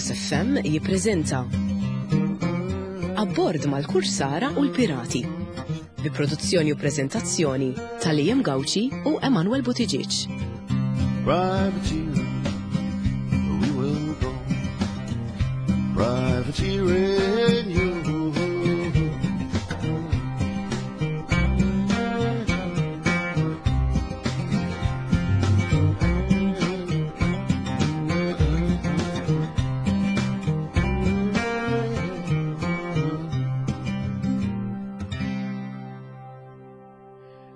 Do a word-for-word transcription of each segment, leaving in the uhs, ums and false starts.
Campus F M jippreżenta Abbord mal-Kursara u l-Pirati, bi produzzjoni u preżentazzjoni ta' Liam Gauci u Emanuel Buttigieg. Privateering, we will go. Privateering, you.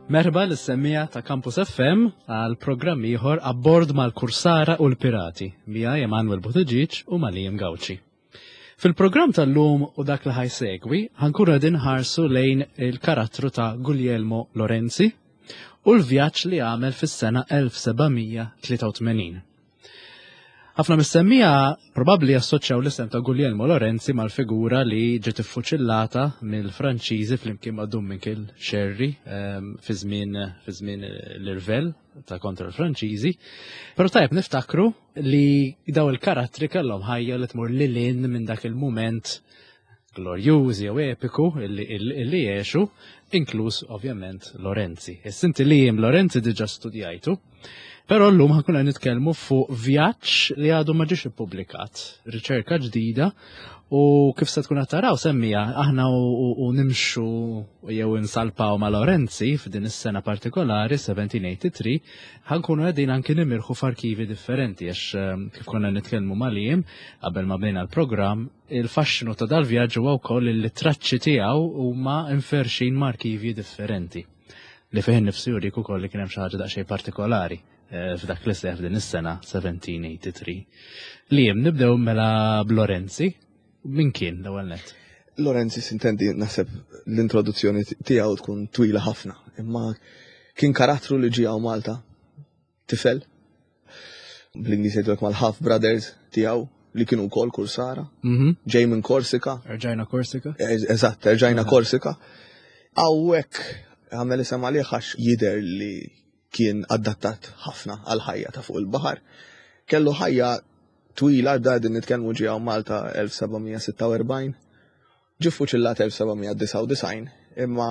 Merħba lis-semmiegħa ta' Campus F M għal programm ieħor, Abbord mal-Kursara u l-Pirati, miegħi Emanuel Buttigieg u ma' Liam Gauci. Fil-programm tal-lum u dak li ħa jsegwi, ħa nkunu qegħdin inħarsu lejn il-karattru ta' Guglielmo Lorenzi u l-vjaġġ li għamel fis-sena elf seba' mija tlieta u tmenin. Ħafna mis-semmiegħa probabbli assoċjaw l-isem ta' Guglielmo Lorenzi mal-figura li ġiet iffuċillata mill-Franċiżi flimkien ma' Dun Mikiel Xerri ehm, fi żmien fi żmien l-irvell ta' kontra l-Franċiżi. Però tajjeb niftakru li daw il-karattri kellhom ħajja li tmur lil hinn minn dak il-mument glorjużi jew epiku illi illi għexu, inkluż ovvjament Lorenzi. Issa inti, Liam, Lorenzi diġà studjajtu. Però llum ħa nkunu nitkellmu fuq vjaġġ li għadu ma ġiex ippubblikat, riċerka ġdida, u kif se tkun taraw, semmiegħa, aħna u, u nimxu jew insalpaw ma' Lorenzi f'din is-sena partikolari seventeen eighty-three, ħa nkunu qegħdin anki nimirħu f'arkivi differenti għax ehm, kif konna nitkellmu ma' Liam qabel ma bdejna l-programm, il-faxxinu ta' dal-vjaġġ huwa wkoll li traċċi tiegħu huma inferxin ma' arkivi differenti, li fih nifsu jurik ukoll li kien hemm xi ħaġa daqsxejn partikolari eh, f'dak li seħ f'din is-sena seventeen eighty-three. Liam, nibdew mela b'Lorenzi. Min kien l-ewwel net? Lorenzi, sintendi, naħseb l-introduzzjoni tiegħu tkun twila ħafna, imma kien karattru li ġie hawn Malta, tifel, bl-Ingliż jgħidulek mal-half brothers tiegħu li kienu wkoll kursara, Mhm. ġej minn Korsika. Erġajna Korsika? Eżatt, erġajna Korsika. Hawnhekk għamel isem għalih għax jidher li kien adattat ħafna għal ħajja ta' fuq il-baħar. Kellu ħajja twila, da din nitkellmu ġie hawn Malta elf seba' mija sitta u erbgħin, ġie fuċillat elf seba' mija disgħa u disgħin, imma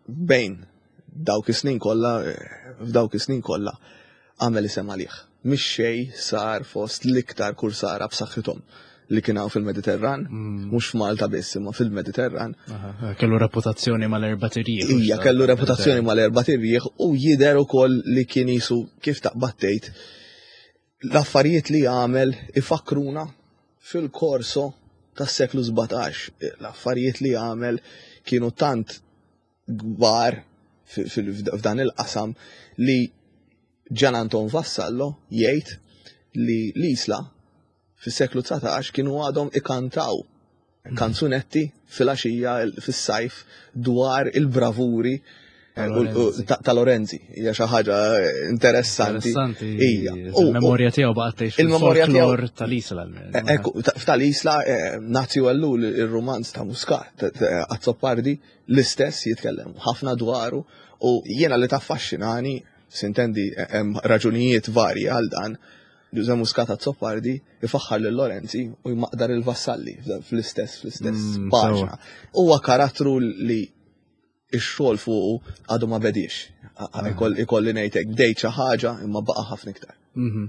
bejn dawk is-snin kollha, f'dawk is-snin kollha, għamel isem għalih. Mix xej sar fost l-iktar kursara b'saħħithom li kien hawn fil-Mediterran, mhux f'Malta biss, imma fil-Mediterran. Aha, kellu reputazzjoni mal-erbat irjieħ. Ija, kellu reputazzjoni mal-erbat irjieħ u jidher ukoll li kien jisu kif taqbad tgħid l-affarijiet li għamel ifakruna fil-korso tas-seklu sbatax. L-affarijiet li għamel kienu tant kbar fi- fil- f'dan il-qasam li Gian Anton Vassallo jgħid li l-Isla fis-seklu dsatax kienu għadhom ikantaw kanzunetti fil-għaxija fis-sajf dwar il-bravuri eh, u- u- ta' ta' Lorenzi. Hija xi ħaġa interessanti. Interessanti. Ija. U- u- Il-memorja tiegħu baqgħet tgħix Il-memorja tiegħu- fil-folklor tal-Isla. Ekku, ta- f'tal-Isla, eh, Nazju Ellul, il-romanz ta' Muscat, ta- ta- Azzopardi, l-istess jitkellem ħafna dwaru u jiena li taffaxxinani, sintendi, eh, hemm raġunijiet varji għal dan, Ġużè Muscat Azzopardi ifaħħar lil Lorenzi u jmaqdar il-Vassalli fl-istess fl-istess Mm, paġna. Huwa karattru li ix-xogħol fuqu għadu ma bediex. Ikolli ngħidlek bdejt xi ħaġa imma baqa' ħafna iktar. Mhm.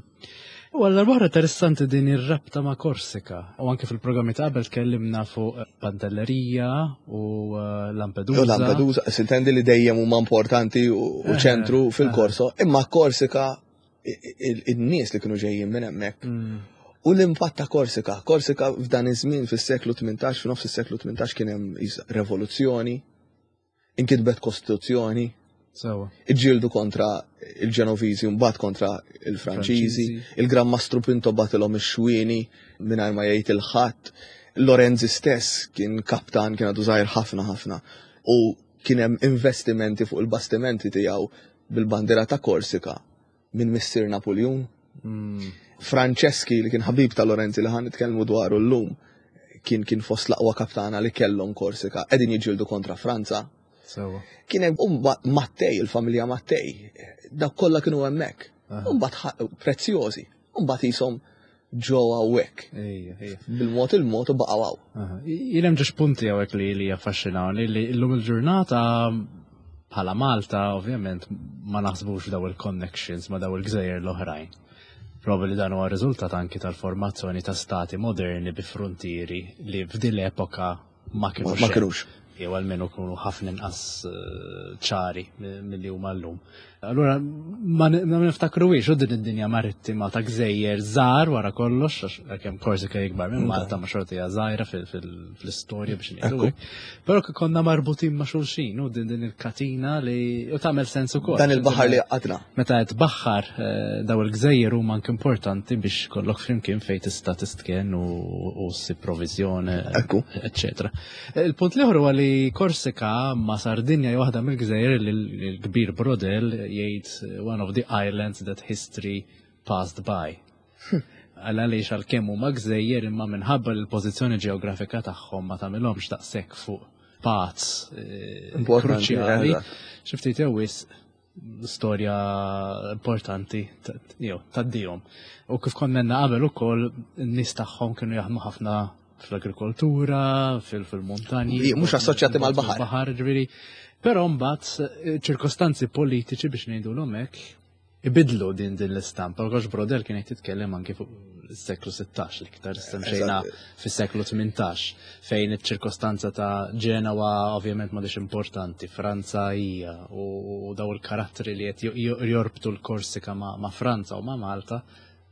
U għalla barra interessanti din ir-rabta ma' Korsika. U anke fil-programmi ta' qabel tkellimna fuq Pantellerija u eh, Lampedusa. U Lampedusa, sintendi, li dejjem huma importanti u u Eh, ċentru fil-korso, imma Korsika i- i- in-nies li kienu ġejjin minn hemmhekk Mm. u l-impatt ta' Korsika. Korsika f'dan iż-żmien fis-seklu tmintax, f'nofs is-seklu tmintax kien hemm is- rivoluzzjoni, inkitbet kostituzzjoni, Sewa. iġġieldu kontra il-Ġenoviżi u mbagħad kontra il-Franċiżi, Franċiżi. il-Gran Mastru Pinto bagħtilhom ix-xwieni mingħajr ma jgħid il-ħadd. Lorenzi stess kien kaptan, kien għadu żgħir ħafna ħafna u kien hemm investimenti fuq il-bastimenti tiegħu bil-bandiera ta' Korsika minn Missier Napoleon. Mm. Franceschi, li kien ħabib ta' Lorenzi li ħa nitkellmu dwaru llum, kien kien fost l-aqwa kaptana li kellhom Korsika, qegħdin jiġġieldu kontra Franza. Sewa. Kien hemm umba Mattei, il-familja Mattei, dak kollha kienu hemmhekk. Aha. Umbagħad ħa- prezzjożi. Umbagħad jisom ġew hawnhekk. Ejja, ejja. Bil-mod il-mod u baqgħu hawn. Aha. Jien hemm ġiex punti hawnhekk li li jaffaxxinawni li llum il-ġurnata bħala Malta ovvjament ma naħsbux daw il-connections ma daw il-gżejjer l-oħrajn. Probabbli dan huwa riżultat anki tal-formazzjoni ta' stati moderni bi frontieri li f'din l-epoka ma kienux. Ma kinux. Jew almenu kunu ħafna inqas eh, ċari milli huma llum. Allura ma niftakruwiex u din id-dinja marittima ta' gżejjer żgħar wara kollox, għax kemm Korsika ikbar minn Malta ma xorta hija żgħira fil-istorja biex ngħidu hekk. Però konna marbutin ma' xulxin u din din il-katina li u tagħmel sens ukoll. Dan il-baħar li għadna. Meta qed baħħar eh, daw il-gżejjer huma anke importanti biex kollok flimkien fejn tista' tistken u ssib provviżjoni, Ekku. eccetera. Il-punt l-ieħor huwa li Korsika ma' Sardinja hija waħda mill-gżejjer li l-kbir Braudel jgħid one of the islands that history passed by. Għal għaliex għalkemm huma gżejjer imma minħabba l-pożizzjoni ġeografika tagħhom ma tagħmilhomx daqshekk fuq paths eh, Importanti, kruċjali. eżatt. Xi ftit jew wisq storja importanti ta- jew taddihom. U kif konna qabel ukoll in-nies tagħhom kienu jaħdmu ħafna fl-agrikoltura, fil- fil-montanji. Li mhux assoċjati mal-baħar. Baħar, ġifieri. Però mbagħad eh, ċirkostanzi politiċi biex ngħidulhom hekk ibidlu din din l-istampa. Għax Braudel kien qed jitkellem anke fuq is-seklu sittax l-iktar semmejna Eżatt. fis-seklu tmintax fejn iċ-ċirkostanza ta' Ġenowa ovvjament m'għadix importanti, Franza hija u daw il-karattri li qed jorbtu l-Korsika ma' ma' Franza u ma' Malta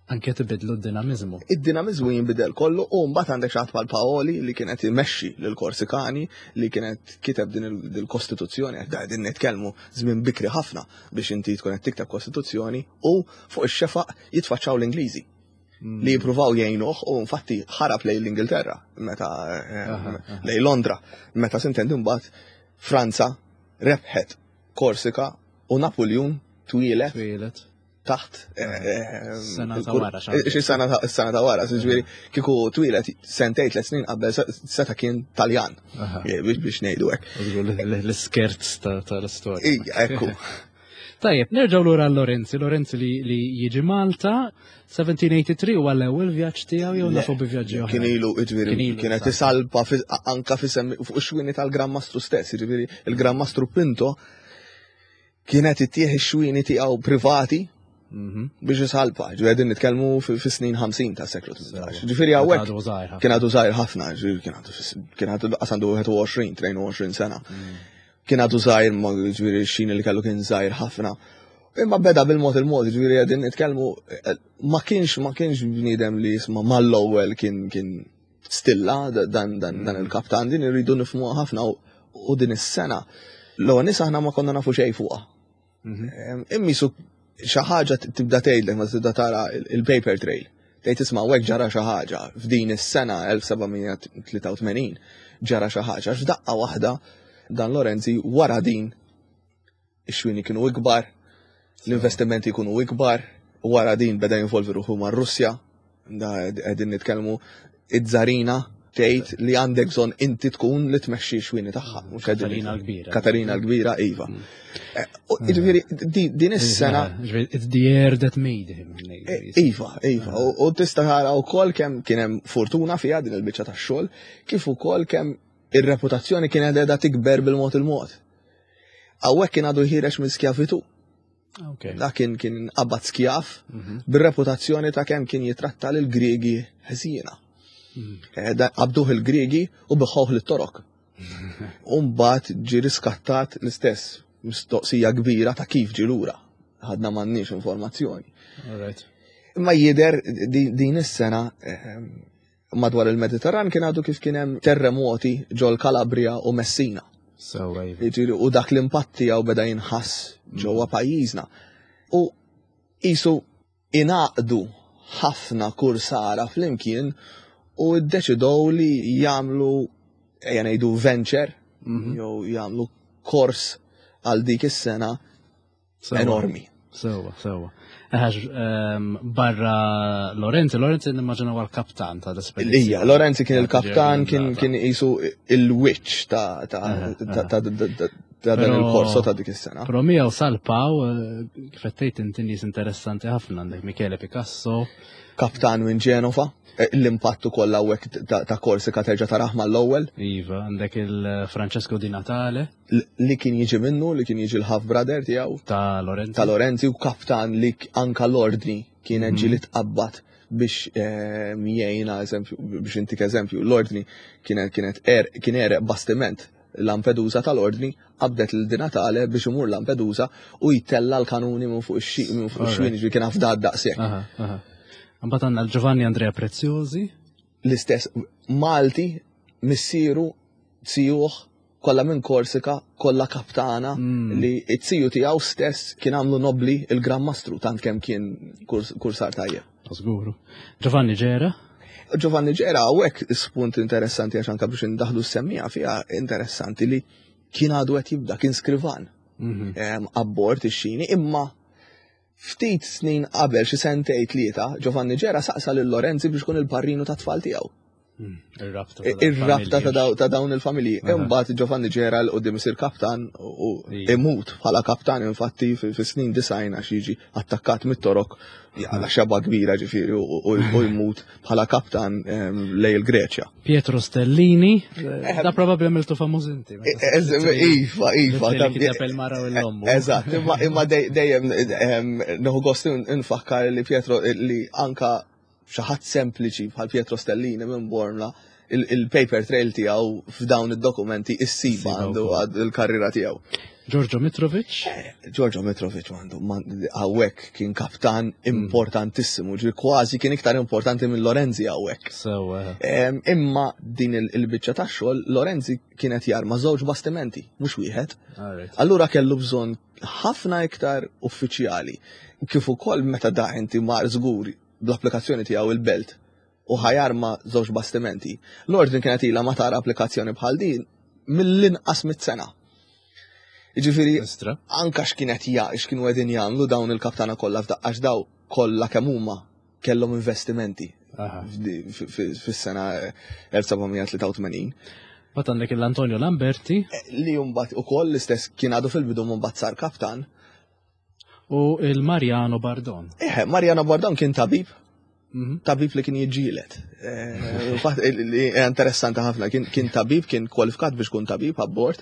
anke tibidlu d-dinamizmu. Id-dinamizmu jinbidel kollu u mbagħad għandek xi ħadd bħal Paoli li kienet imexxi lil Korsikani li kienet kiteb din il- il-Kostituzzjoni, qed qegħdin nitkellmu żmien bikri ħafna biex inti tkun qed tikteb Kostituzzjoni u fuq ix-xefaq jitfaċċaw l-Ingliżi li jippruvaw jgħinuh u infatti ħarab lejn l-Ingilterra meta eh, Aha, aha. lejn Londra meta sintendi mbagħad Franza rebħet Korsika u Napoleon twieled Twieled. taħt eh, Sena ta' il-kur- wara, xi Xi sena ta' sena ta' wara, ġifieri kieku twieled sentejn tliet snin qabel se- seta kien Taljan Aha. eh, biex biex ngħidu hekk. U żgur l- L-iskerz ta- tal-istorja. Ija, ekku. Tajjeb, nerġgħu lura għal Lorenzi. Lorenzi li, li jiġi Malta, seventeen eighty-three huwa l-ewwel vjaġġ tiegħu jew nafu bi vjaġġi oħra? Kien ilu, ġifieri, Kien ilu, kienet sa. isalpa fi- anka fi semmi fuq ix-xwini tal-Gran Mastru stess, ġifieri il-Gran Mastru Pinto kienet ittieħ ix-xwini tiegħu privati Mhm. biex isalpa, ġifieri qegħdin nitkellmu fi fi snin ħamsin ta' seklu tmintax. Ġifieri hawnhekk Għadu żgħir ħafna. Kien għadu żgħir ħafna, ġifieri kien għadu fis- kien għadu qas għandu wieħed u għoxrin, tnejn u għoxrin sena. Kien għadu żgħir, ma ġifieri xin li kellu kien żgħir ħafna. Imma beda bil-mod il-mod, ġifieri qegħdin nitkellmu eh, ma kienx ma kienx bniedem li jisma' mal-ewwel kien kien stilla da- dan dan dan il-kaptan din irridu nifhmuha ħafna u, u din is-sena. L-ewwel nies aħna ma konna nafu xejn fuqha. Mhm. Em, Immisu xi ħaġa tibda tgħidlek ma tibda tara il- il-paper trail. Tgħid isma' hekk ġara xi ħaġa f'din is-sena elf seba' mija tlieta u tmenin ġara xi ħaġa għax f'daqqa waħda dan Lorenzi wara din ix-xwini kienu ikbar, l-investimenti jkunu ikbar, wara din beda jinvolvi ruħu mar-Russja, da qegħdin nitkellmu iż-żarina tgħid li għandek bżonn inti tkun li tmexxi x-xwini tagħha. Mhux qegħdin Katarina l-Kbira. Katarina l-Kbira, iva. Eh, u Ġifieri, di- din is-sena Ġifieri, it's the air that made him. Eh, Iva, iva, u u tista' tara wkoll kemm kien hemm fortuna fiha din il-biċċa tax-xogħol, kif ukoll kemm ir-reputazzjoni kienet qiegħda tikber bil-mod il-mod. Hawnhekk kien għadu ħiereġ minn skjavitu. Ok. Da kien kien qabad skjaf Mhm. bir-reputazzjoni ta' kemm kien jitratta lil Griegi ħżiena. Mhm. Eh, da Qabduh il-Griegi u biegħuh lit-Torok. U mbagħad ġi riskattat l-istess mistoqsija kbira ta' kif ġi lura. Ħadna m'għandniex informazzjoni. All right. Imma jider di- din is-sena ehm, madwar il-Mediterran kien għadu kif kien hemm terremoti ġol Kalabria u Messina. So, iva. Jiġifieri, u dak l-impatt tiegħu beda jinħass ġewwa pajjiżna. U qisu ingħaqdu ħafna kursara flimkien u ddeċidew li jagħmlu ejja ngħidu venture Mhm. jew jagħmlu kors għal dik is-sena Sewa. enormi. Sewa, sewa. Għax ehm, barra Lorenzi, Lorenzi nimmaġina huwa l-kaptan ta' l-espedizzjoni. Ija, Lorenzi kien il-kaptan, kien kien qisu il-witch ta' ta' ta' ta' ta' ta' dan Però- il-korso ta' dik is-sena. Però miegħu salpaw, eh, kif qed tgħid inti nies interessanti ħafna għandek Michele Picasso, Kaptan minn Ġenova, eh, l-impattu kollha hawnhekk ta' ta' Korsika terġa' taraħ mal-ewwel Iva, għandek il-Francesco Di Natale l- li kien jiġi minnu, li kien jiġi l-half brother tiegħu ta' Lorenzi. ta' Lorenzi u kaptan li k- anka l-ordni kienet ġieli tqabbad biex eh, jgħinha eżempju biex intik eżempju l-ordni kienet kienet er, kien ereq bastiment Lampedusa tal-ordni qabdet lil Di Natale biex imur Lampedusa u jtella l-kanuni minn fuq ix-xi minn fuq ix-xwien ġifieri kien afdat daqshekk. Aha, aha. Mbagħad għandna l-Giovanni Andrea Preziosi, L-istess Malti missieru zijuh kollha minn Korsika, kollha kaptana Mm. li it-ziju tiegħu stess kien għamlu nobli il-Gran Mastru tant kemm kien kurs- kursar tajjeb. żguru. Giovanni Gera, Giovanni Gera hawnhekk spunt interessanti għax anke biex indaħlu s-semmija fiha interessanti li kien għadu qed jibda, kien skrivan Mhm. em, abbord ix-xini, imma ftit snin qabel xi sentej tlieta Giovanni Gera saqsa lil Lorenzi biex ikun il-parrinu ta' tfal tiegħu. Mm, Ir-rabta. Ir-rabta ta' daw- ta' dawn il-familji. Aha. Imbagħad Giovanni Gera l qudiem isir kaptan u Ija. imut bħala kaptan infatti fi fi snin disgħin għax jiġi attakkat mit-torok għala xeba kbira ġifieri u- u u jmut bħala kaptan em, lej il-Greċja. Pietro Stellini, eh, da probabbli għamiltu famuż inti. meta E- Iva, iva. Li kiteb il-mara u l-ommu. Eżatt, imma imma dej- dejjem em, nieħu gost nfakkar li Pietro li anka xi ħadd sempliċi bħal Pietro Stellini minn Bormla il- il-paper trail tiegħu f'dawn id-dokumenti issiba Issiba għandu wkoll. għad il-karriera tiegħu. Giorgio Mitrovic, Giorgio Mitrovic għandu man- hawnhekk kien kaptan importantissimu, ġi kważi kien iktar importanti minn Lorenzi hawnhekk. so eh, Em, Imma din il- il-biċċa tax-xogħol Lorenzi kienet jarma żewġ bastimenti, mhux wieħed. all right. Allura kellu bżonn ħafna iktar uffiċjali. Kif ukoll meta da inti mar żgur bl-applikazzjoni tiegħu il-belt u ħajarma żewġ bastimenti. L-ordni kienet ilha ma tara applikazzjoni bħal din mill-inqas mit-sena. Jiġifieri Istra. anka x'kienet ja x'kienu qegħdin jagħmlu dawn il-kaptana kollha f'daqqa għax daw kollha kemm huma kellhom investimenti Aha. f'di- fi- fi- fis-sena elf seba' tlieta u tmenin. Mbagħad għandek l-Antonio Lamberti Li mbagħad ukoll l-istess kien għadu fil-bidu mbagħad sar kaptan. u il-Mariano Bardon. Eħe, Mariano Bardon kien tabib, Mhm. tabib li kien jiġġieled. Eh, Infatti, li hija interessanti ħafna, kien, kien tabib, kien kwalifikat biex kun tabib abbord,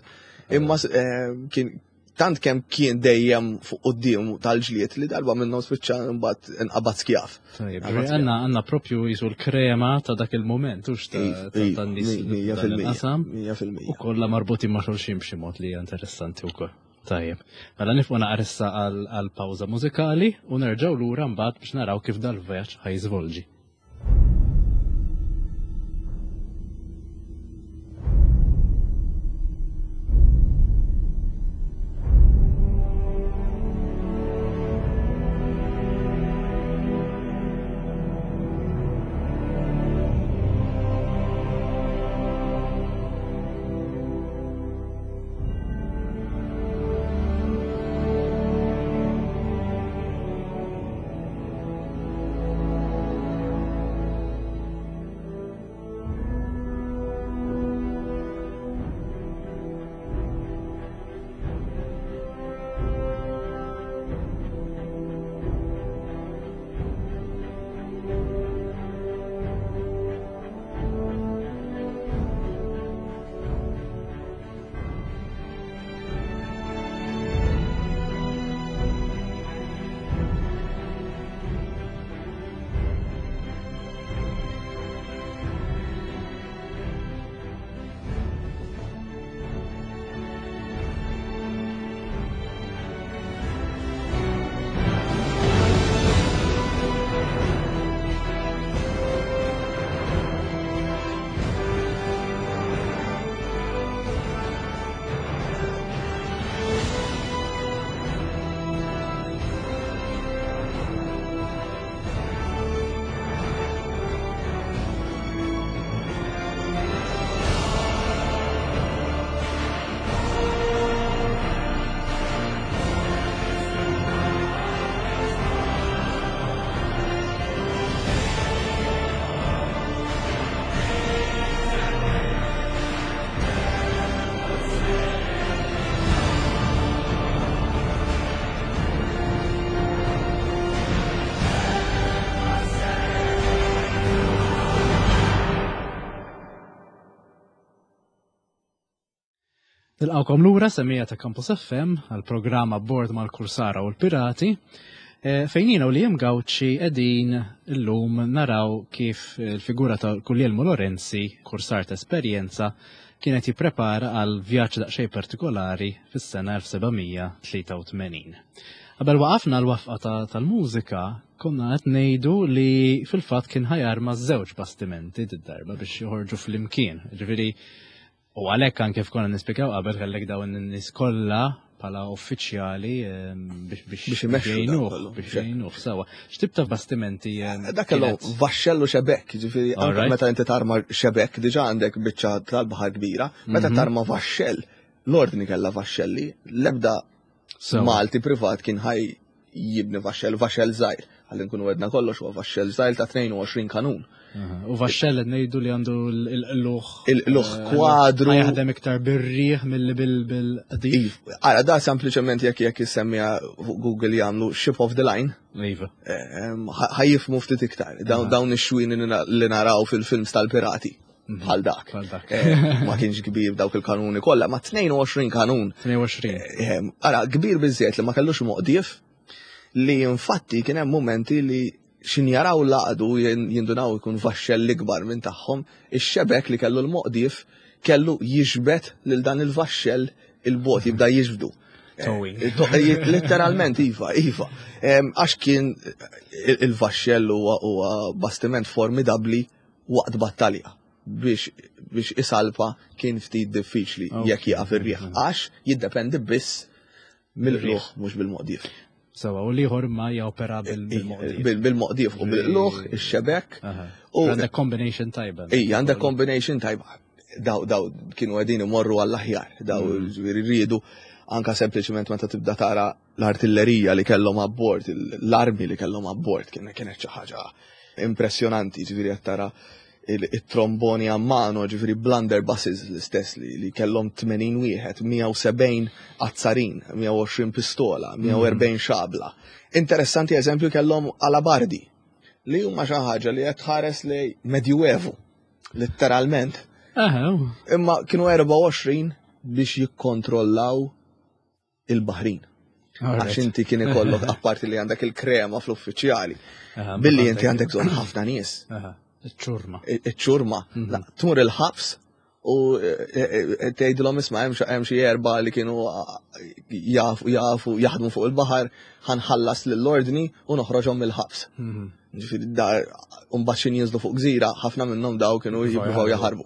imma eh, kien tant kemm kien dejjem fuq quddiem tal-ġlied li darba minnhom spiċċa mbagħad inqabad skjaf. Tajjeb, Għamil għanna għanna propju jisu l-krema ta' dak il-moment, ux ta' Iva, ta' iva, tan-nies mija dan fil-mija, il-qasam. mija U fil-mija. kollha marbutin ma' xulxin b'xi mod li hija interessanti wkoll. Tajjeb. Mela nifqu naqra issa għal għal pawża mużikali u nerġgħu lura mbagħad biex naraw kif dal-vjaġġ ħajżvolġi. Nilqgħukom lura, semmiegħa ta' Campus F M, għal programm Abbord mal-Kursara u l-Pirati, eh, fejn jiena u Liam Gauci qegħdin illum naraw kif il-figura ta' Guglielmo Lorenzi, kursar ta' esperjenza, kienet jipprepara għal vjaġġ daqsxejn partikolari fis-sena elf seba' mija tlieta u tmenin. Qabel waqafna l-waqfa tal-mużika, konna qed ngħidu li fil-fatt kien ħa jarma żewġ bastimenti d-darba biex joħorġu fl-imkien. Ġifieri, u għalhekk anke konna nispjegaw qabel kellek dawn in-nies kollha bħala uffiċjali biex biex biex imexxu dak jgħinuh, kollu. Biex jgħinuh sewa. X'tip ta' bastimenti em, Dak kellu kienet? Vaxxellu xebek, ġifieri anke Alright. meta inti tarma xebek, diġà għandek biċċa tal-baħar kbira, meta Mhm. tarma vaxxell, l-ordni kellha vaxxelli, l-ebda Sewa. Malti privat kien ħaj jibni vaxxell, vaxxell żgħir. Ħalli nkunu għedna kollox, huwa vaxxell żgħir ta' tnejn u għoxrin kanun. Aha. U vaxxell qed ngħidu li għandu l-luħ. Il-luħ kwadru. Jaħdem iktar bir-riħ milli bil-qdif. Iv, ara, da sempliċement jekk jekk jissemmija fuq Google jagħmlu ship of the line, Iva. ehm, ħa jifhmu ftit iktar. Dawn dawn ix-xwini li naraw fil-films tal-pirati. Bħal dak. Bħal dak. Eh, Ma kienx kbir dawk il-kanuni kollha, ma tnejn u għoxrin kanun. tnejn u għoxrin. Ehm, Ara, kbir biżżejjed li ma kellux moqdief, li infatti kien hemm momenti li xin jaraw laqdu jindunaw ikun vaxxell ikbar minn tagħhom, ix-xebek li kellu l-moqdief kellu jiġbed lil dan il-vaxxell il-bot jibda jiġbdu. Towing. Eh, to- eh, Letteralment, iva, iva. Em, Għax kien il- il-vaxxell huwa huwa bastiment formidabli waqt battalja. Biex biex isalpa kien ftit diffiċli Ok. jekk jaqaf ir-riħ. Għax jiddependi biss mill-qlugħ, mhux bil-moqdief. Sewa, u l-ieħor ma jopera bil-moqdief. Bil- Bil-moqdief u bil-qlugħ, ix-xebek. Aha. U Għandek combination tajba. Ija, għandek combination tajba. Daw, daw, kienu għedin imorru għall-aħjar, daw ġifieri rridu anka sempliċement meta tibda tara l-artillerija li kellhom abbord, l-armi li kellhom abbord, kien kienet xi ħaġa impressjonanti, ġifieri qed tara il-tromboni a mano, ġifieri blunderbusses l-istess li, li kellhom tmenin wieħed, mija u sebgħin azzarin, mija u għoxrin pistola, mija u erbgħin xabla. Interessanti, eżempju, kellhom alabardi, li huma xi ħaġa li qed tħares li medjuevu, letteralment. Aha, Imma kienu erbgħa u għoxrin biex jikkontrollaw il-baħrin. Għax inti kien ikollok, apparti li għandek il-krema fl-uffiċjali, Aha, billi inti għandek bżonn ħafna nies. Aha, iċ-ċurma. Iċ-ċurma. La, tmur il-ħabs u eh, eh, eh, tgħidilhom, "Isma', hemm xi- hemm xi erba' li kienu ah, jafu jafu jaħdmu fuq il-baħar, ħa nħallas lill-ordni u noħroġhom mill-ħabs." Mhm. Ġifieri da mbagħad xi jinżlu fuq gżira, ħafna minnhom daw kienu jippruvaw jaħarbu.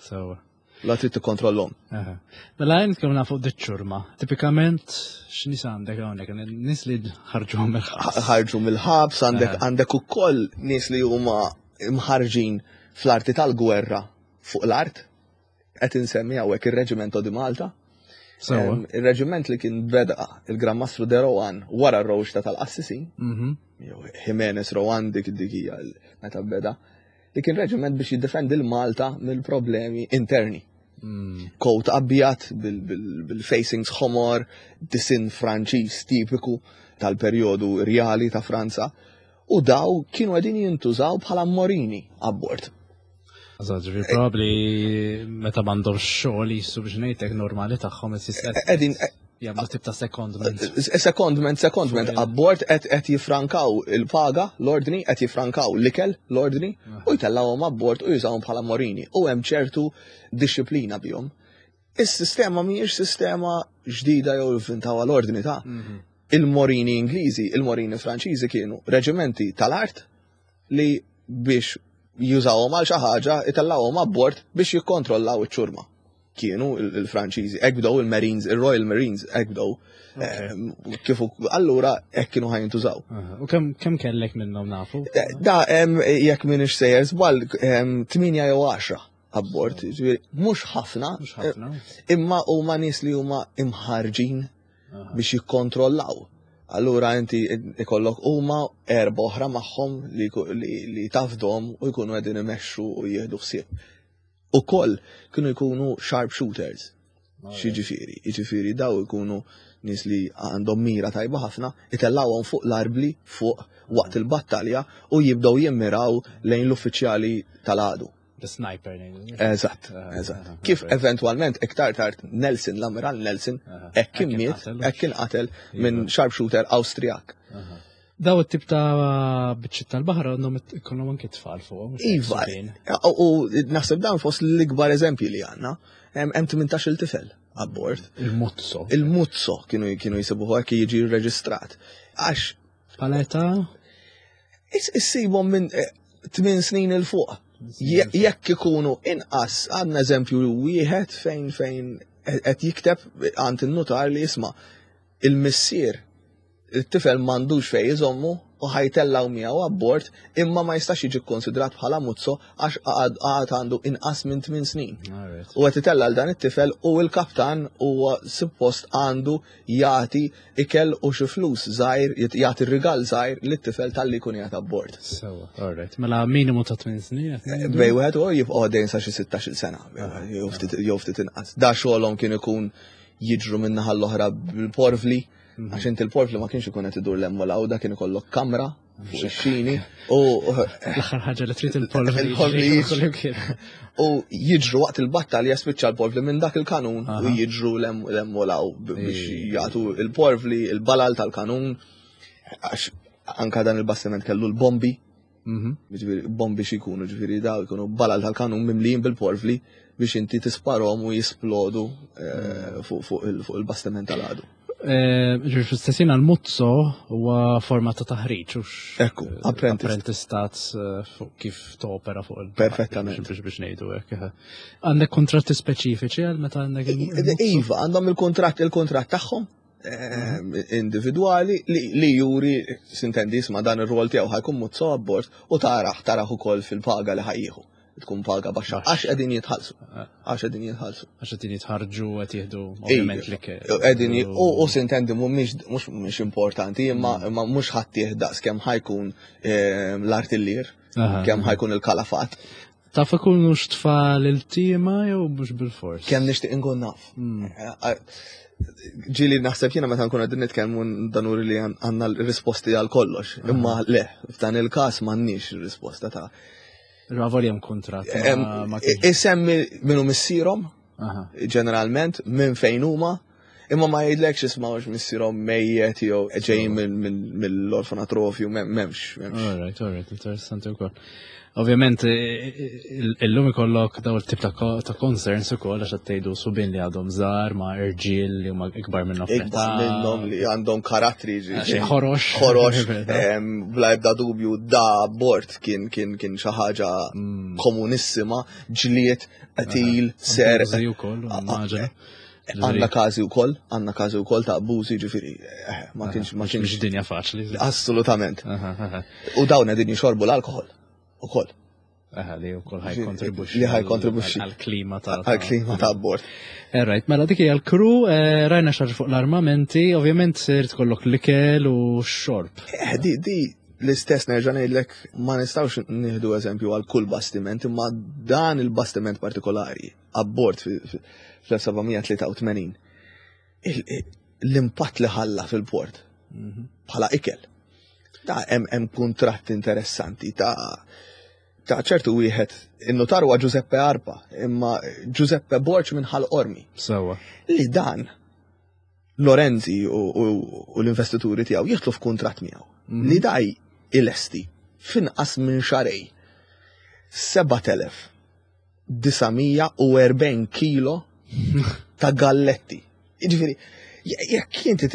Sewa. La trid tikkontrollhom. Aha. Mela jien nitkellmu fuq diċ-ċurma. Tipikament x'nies għandek hawnhekk? Nies li ħarġu mill-ħabs. Ħarġu mill-ħabs, għandek Aha. għandek ukoll nies li huma mħarġin fl-arti tal-gwerra fuq l-art. Qed insemmi hawnhekk ir-Reġimento di Malta. Sewa. Em, Il-reġiment li kien beda il-Gran Mastru de Rohan wara r-rewwixta tal-Qassisin, Mhm. jew Jimenez Rohan, dik dik hija l- meta beda, li kien reġiment biex jiddefendi l-Malta mill-problemi interni. Mm. Coat abjad bil-facings ħomor, disin Franċiż tipiku tal-perjodu rjali ta' Franza, u daw kienu għedin jintużaw bħala morini abbord. Eżatt, ġifieri probably meta m'għandhomx xogħol jisu biex ngħidlek normali tagħhom qed Qegħdin jagħmlu tip ta' secondment. Secondment, secondment, abbord qed qed jifrankaw il-paga, l-ordni, qed jifrankaw l-ikel, l-ordni, u jtellawhom abbord u jużawhom bħala morini. U hemm ċertu disċiplina bihom. Is-sistema mhijiex sistema ġdida jew inventawha l-ordni ta' il-morini Ingliżi, il-morini Franċiżi kienu reġimenti tal-art li biex jużawhom għal xi ħaġa itellawhom abbord biex jikkontrollaw iċ-ċurma. Kienu il-Franċiżi, hekk bdew il-Marines, il-Royal Marines, hekk bdew. Ehm, Kif allura hekk kienu ħa jintużaw. Aha. U kemm kemm kellek minnhom, nafu? Da hemm, jekk m'iniex sejjer żball, tmienja jew għaxra abbord, ġifieri mhux ħafna, Mhux ħafna. imma huma nies li huma imħarġin biex jikkontrollaw. Allura inti ikollok huma erba' oħra magħhom li, li, li tafdom u jkunu qegħdin imexxu u jieħdu ħsieb. Ukoll kienu jkunu sharpshooters. X'jiġifieri? Jiġifieri daw ikunu nies li għandhom mira tajba ħafna, itellawhom fuq l-arbli fuq waqt il-battalja u jibdew jimmiraw lejn l-uffiċjali tal-għadu. L-sniper ngħidu. Eżatt, eżatt. Kif eventwalment iktar tard Nelson, l-Ammiral Nelson, hekk kien miet, hekk kien qatel minn sharpshooter Awstrijak. Daw it-tip ta' biċċiet tal-baħar għandhom ikollhom anke tfal fuq. Iva, u naħseb dan fost l-ikbar eżempji li għandna, hemm tmintax-il tifel abbord. Il-muzzo. Il-muzzo kienu kienu jisibuħu hekk jiġi rreġistrat. Għax Bħala età? Issibhom minn tmien snin 'il fuq. Jekk ikunu inqas, għandna eżempju wieħed fejn fejn qed jikteb għand in-nutar li jisma' il-missier il-tifel m'għandux fej iżommu u ħa jtellgħu miegħu abbord imma ma jistax jiġi konsidrat bħala muzzo għax għad għandu inqas minn tmien snin. U qed itella' dan it-tifel u l-kaptan huwa suppost għandu jagħti ikel u xi flus żgħir, jagħti rigal żgħir lit-tifel talli jkun qiegħed abbord. Sewa, alright. Mela minimu ta' tmien snin. Bej wieħed u jibqgħu għaddejn sa xi sittax-il sena, jew ftit inqas. Da xogħolhom kien ikun jiġru minn naħa l-oħra bil-porvli. Għax inti l-porvli ma kienx ikun qed idur 'l hemm u 'l hawn, da kien ikollok kamra fuq ix-xini u l-aħħar ħaġa li trid il-polvli. Il-polvli u jiġru waqt il-battalja spiċċa l-porvli minn dak il-kanun u jiġru 'l hemm u 'l hawn biex jagħtu il-porvli, il-balal tal-kanun. Għax anka dan il-bastiment kellu l-bombi. Ġifieri bombi x'ikunu, ġifieri daw ikunu balal tal-kanun mimlijin bil-porvli biex inti tisparhom u jisplodu fuq il-bastiment tal-għadu. Ġifieri fl-istessin għal-muzzo huwa forma ta' taħriġ, hux Ekku, apprentist. Apprentistat fuq kif topera fuq il- Perfettament. Biex biex ngħidu hekk. Għandek kontratti speċifiċi għal meta għandek il-muzzo? Iva, għandhom il-kontratt il-kontratt tagħhom individwali li juri sintendi isma' dan ir-rol tiegħu ħa jkun muzzo abbord u taraħ taraħ ukoll fil-paga li ħa jieħu. Tkun paga baxxa għax qegħdin jitħallsu. Għax qegħdin jitħallsu. Għax qegħdin jitħarġu qed jieħdu ovvjament li Qegħdin u sintendi mhumiex mhux mhux importanti imma imma mhux ħadd daqs kemm ħa jkun l-artillier, kemm ħa jkun il-kalafat. Taf ikunu tfal il-tima jew mhux bil-fors? Kemm nixtieq inkun naf. Ġieli naħseb jiena meta nkun qegħdin nitkellmu danuri li għandna l-risposti għal kollox. Imma le, f'dan il-każ m'għandniex ir-risposta ta' Ravoli hemm kuntratt. Isemmi minnu missierhom, ġeneralment, minn fejn huma, imma ma jgħidlekx isma' missierhom mejjet jew ġejjin mill-orfanatrofju, m'hemmx. All right, all right, interessanti wkoll. Ovvjament, illum ikollok daw il-tip ta' concerns ukoll għax qed tgħidu subien li għadhom żgħar ma' irġiel li huma ikbar minnhom. Ikbar minnhom li għandhom karattri ġi. Ħorox. Ħorox. Bla ebda dubju da bord kien kien kien xi ħaġa mm. komunissima, ġlied, qtil, ser. Għandna każi wkoll, għandna każi wkoll ta' abbużi ġifieri, eh, ma kienx ma kienx dinja faċli. Assolutament. U dawn qegħdin jixorbu l-alkoħol ukoll. Aha, li wkoll ħa jikkontribwixxi. Li ħa jikkontribwixxi. Għal-klima ta' għal-klima ta' bord. Right, mela dik hija l-crew, eh, rajna xi ħaġa fuq l-armamenti, ovvjament irid ikollok l-ikel u x-xorb. Eh, di, di l-istess nerġa' ngħidlek ma nistgħux nieħdu eżempju għal kull bastiment, imma dan il-bastiment partikolari abbord fl-elf seba' mija tlieta u tmenin l-impatt li ħalla fil-port mhm. bħala ikel. Ta' hemm kuntratt interessanti ta' ta' ċertu wieħed in-notar huwa Giuseppe Arpa, imma Giuseppe Borg minn Ħal Qormi. Sewa. Li dan Lorenzi u, u, u l-investituri tiegħu jidħlu f'kuntratt miegħu. Mm -hmm. Li daj ilesti finqas minn xahrejn seba' telef disa' mija u erbgħin kilo ta' galletti. Jiġifieri, jekk inti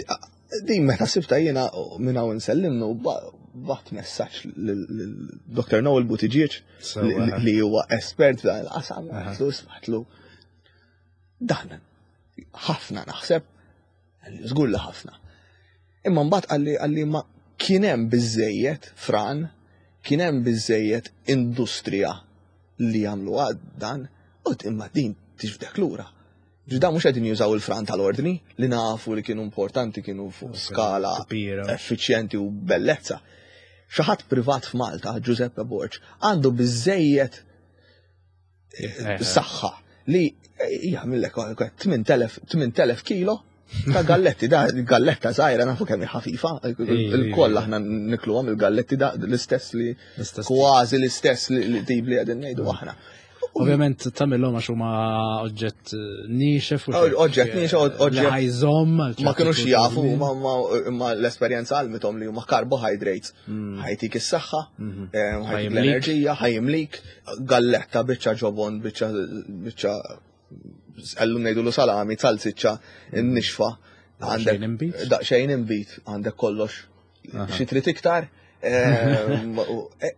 din meta sibta jiena minn hawn insellimnu bgħatt messaġġ lil Doctor Noel Buttigieg li huwa espert f'dan il-qasam, għedtlu smatlu dan ħafna naħseb, żgur li ħafna. Imma mbagħad qalli qalli ma kien hemm biżejjed fran, kien hemm biżejjed industrija li jagħmlu dan, u imma din tiġbdek lura. Ġda mhux qegħdin jużaw il-fran tal-ordni li nafu li kienu importanti, kienu fuq skala effiċjenti u bellezza. Xi ħadd privat f'Malta, Giuseppe Borg, għandu biżejjed eh, saħħa li jagħmillek tmien telef kilo ta' galletti, da galletta żgħira nafu kemm ħafifa, il-koll aħna nikluhom il-galletti da l-istess li kważi l-istess li tip li qegħdin ngħidu aħna. Ovvjament tagħmilhom għax huma oġġett eh, niexef u Oġġett niexef, oġġett. Ħajżomm. Ma kienux jafu, ma l-esperjenza għallmithom li huma carbohydrates. Mm. Ħa jtik is-saħħa, Mhm. eh, ħa jtik Ħa jimlik. l-enerġija, ħa jimlik, galletta, biċċa ġobon, biċċa biċċa ellum ngħidu salami, salsiccia, nixfa. Daqsxejn inbid. Daqsxejn inbid, għandek kollox. Aha. Xi trid iktar? Ehm, u- eh,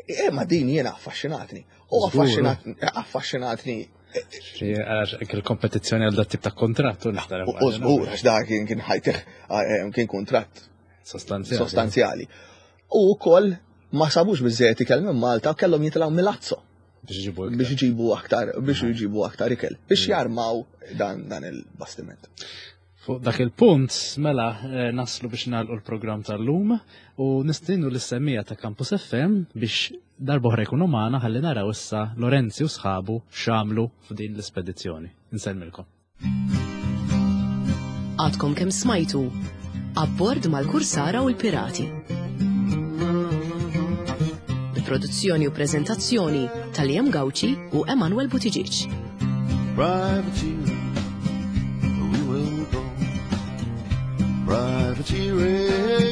eh, Ma din jiena affaxxinatni. U Żgur. affaxxinatni, affaxxinatni Għax il-kompetizzjoni għal dat tip ta' kontrattu nixtar. U żgur, għax da kien kien ħajtih eh, kien kontratt Sostanzjali. sostanzjali. U wkoll ma sabux biżejjed ikel minn Malta, kellhom jitilgħu Milazzo Biex iġibu iktar. biex iġibu aktar biex iġibu aktar ikel biex jarmaw dan dan il-bastiment. Fuq dak il-punt, mela, eh, naslu biex nagħlqu l-programm tal-lum u nistiednu lis-semmiegħa ta' Campus F M biex darb'oħra jkunu magħna ħalli naraw issa Lorenzi u sħabu x'għamlu f'din l-ispedizzjoni. Insellmilkom. Għadkom kemm smajtu Abbord mal-Kursara u l-Pirati. Bi produzzjoni u prezentazzjoni ta' Liam Gauci u Emanuel Buttigieg. Privateer, we will go. Privateering.